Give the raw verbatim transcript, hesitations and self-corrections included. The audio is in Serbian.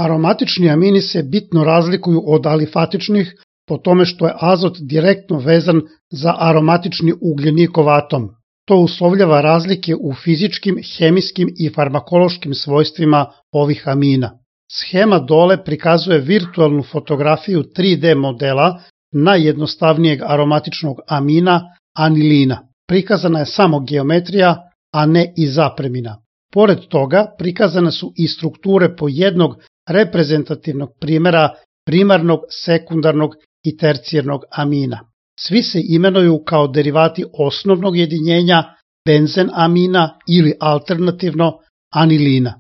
Aromatični amini se bitno razlikuju od alifatičnih po tome što je azot direktno vezan za aromatični ugljenikov atom. To uslovljava razlike u fizičkim, hemijskim i farmakološkim svojstvima ovih amina. Shema dole prikazuje virtualnu fotografiju tri D modela najjednostavnijeg aromatičnog amina, anilina. Prikazana je samo geometrija, a ne i zapremina. Pored toga, prikazane su i strukture po jednog reprezentativnog primjera primarnog, sekundarnog i tercijernog amina. Svi se imenuju kao derivati osnovnog jedinjenja benzen amina ili alternativno anilina.